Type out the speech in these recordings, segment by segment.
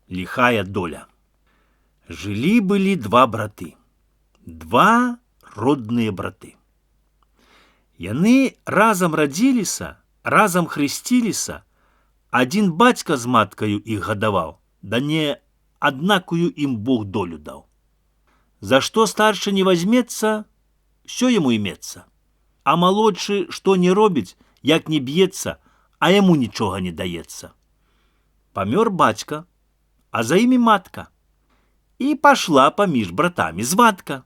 Лихая доля. Жылі-былі два браты. Два родныя браты. Яны разам радзіліся, разам хрысціліся. Адзін бацька з маткаю іх гадаваў, да не аднакую ім Бог долю даў. За што старшы не вазьмецца, всё яму імецца. А малодшы што не робіць, як не б'ецца, а яму нічога не даецца. Памёр бацька, а за імі матка. І пашла паміж братамі звадка.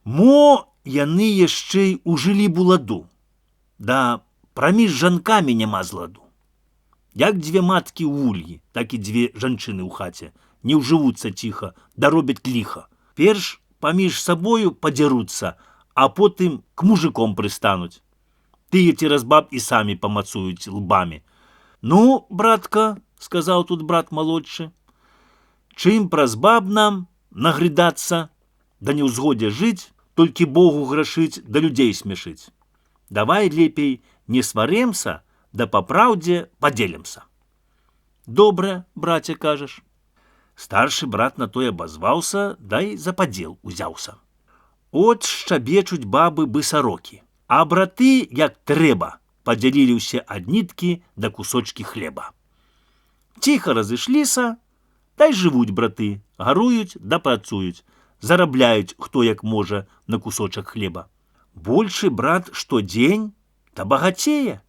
Мо яны яшчэ й ужылі буладу, да праміж жанкамі няма зладу. Як дзве маткі ў ульі, так і дзве жанчыны ў хаце не ўжывуцца ціха, да робяць ліха. Перш паміж сабою падзяруцца, а потым к мужиком прыстануць. Тыя цераз баб і самі памацуюць лбамі. Ну, братка, сказаў тут брат малодшы, чым праз баб нам нагрыдацца, да неўзгодзе жыць, толькі Богу грашыць, да людзей смешыць. Давай лепей не сварэмся, да па праўдзе падзелімся. Добра, браце, кажаш. Старшы брат на тое абазваўся, дай за падзел узяўся. От шчабечуць бабы бысарокі, а браты, як трэба, падзялілі ўсе ад ніткі да кусочкі хлеба. Ціха разышліся, дай жывуць браты, гаруюць да працуюць, зарабляюць хто як можа на кусочак хлеба. Большы брат штодзень та багацее,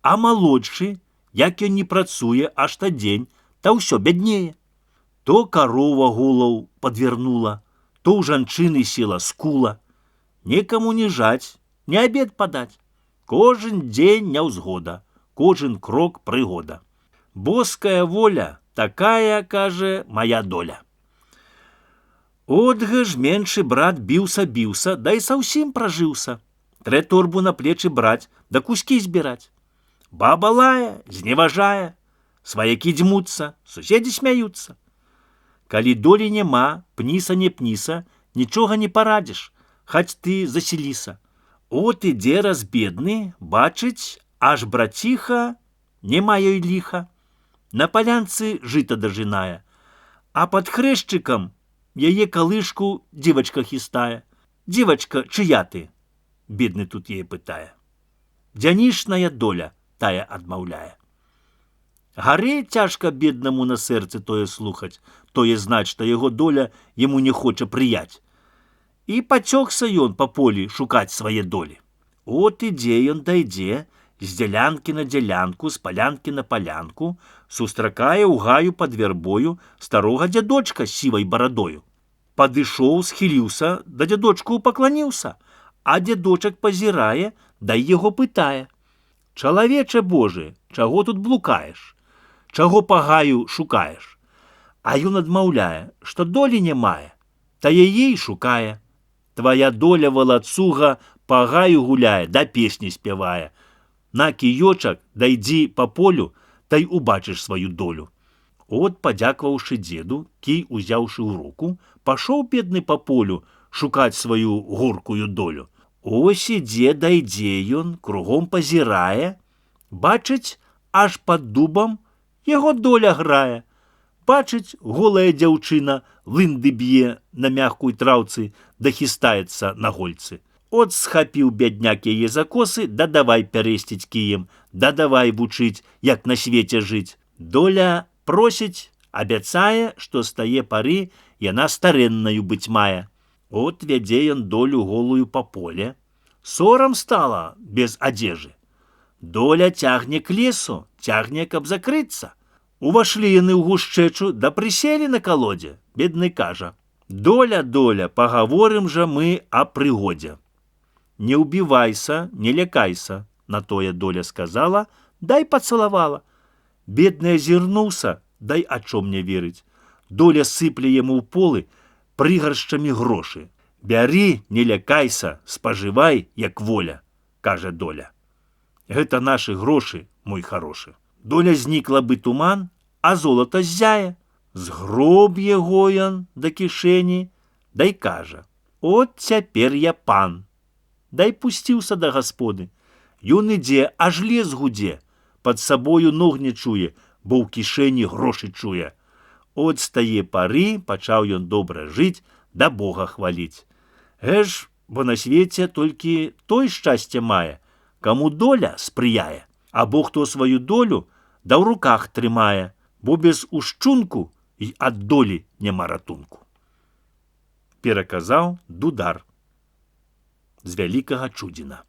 а малодшы, як ён не працуе аж та дзень, та ўсё бяднее. То карова голаў падвернула, то ў жанчыны села скула. Некаму не жаць, не абед падаць. Кожен дзень няўзгода, кожен крок прыгода. Боская воля, такая, кажа, моя доля. Отга ж меншы брат біўся, да і саўсім пражыўся. Трэ торбу на плечы браць, да кускі збіраць. Баба лае, зневажае, сваякі дзьмуцца, суседзі смяюцца. Калі долі няма, пніса не пніса, нічога не парадзіш, хаць ты заселіся. От ідзе раз бедны, бачыць, аж браціха, няма ёй ліха. На палянцы жыта дажынае, а пад хрэшчыкам яе калышку дзівачка хістае. Дзівачка, чыя ты? Бедны тут яе пытае. Дзянішная доля, тая адмаўляе. Гары цяжка беднаму на сэрцы тое слухаць, тое знаць, што яго доля яму не хоча прыяць. І пацёгся ён па полі шукаць свае долі. От ідзе ён дайдзе, з дзялянкі на дзялянку, з палянкі на палянку, сустракае ў гаю пад вярбою старога дзядочка з сівай барадою. Падышоў, схіліўся, да дзядочку пакланіўся, а дзядочак пазірае, да яго пытае. Чалавече Божы, чаго тут блукаеш? Чаго па гаю шукаеш? А ён адмаўляе, што долі не мае, та яе і шукае. Твая доля валацуга па гаю гуляе, да песні спявае. На кіёчак, дайдзі па полю, та й убачыш сваю долю. От, падзякваўшы дзеду, кій узяўшы ў руку, пашоў бедны па полю шукаць сваю горкую долю. Ось ідзе, дайдзе ён, кругом пазірае, бачыць, аж пад дубам яго доля грае. Бачыць, голая дзяўчына лынды б'е на мягкой траўцы, да хістаецца на гольцы. От схапіў бядняк яе за косы, да давай пярэсціць кіем, да давай вучыць, як на свеце жыць. Доля просіць, абяцае, што з тае пары яна старэннаю быць мае. От вядзе ён долю голую па поле. Сорам стала без адзежы. Доля цягне к лесу, цягне, каб закрыцца. Увашлі яны ў гушчэчу, да прыселі на калодзе. Бедны кажа: доля, доля, пагаворым жа мы о прыгодзе. Не ўбівайся, не лякайся, на тое доля сказала, дай пацалавала. Бедны азірнуўся, дай а чом не верыць. Доля сыпле яму ў полы прыгаршчамі грошы. Бяры, не лякайся, спажывай, як воля, кажа доля. Гэта нашы грошы, мой харошы. Доля знікла бы туман, а золата ззяе. Згроб яго ён да кішэні, дай кажа: от цяпер я пан. Дай пусціўся да гасподы. Ён ідзе, аж лес гудзе, пад сабою ног не чуе, бо ў кішэні грошы чуе. От з тае пары пачаў ён добра жыць, да Бога хваліць. Бо на свеце толькі той шчасце мае, каму доля спрыяе, або хто сваю долю да ў руках трымае, бо без ушчунку і ад долі няма ратунку. Пераказаў Дудар з Вялікага Чудзіна.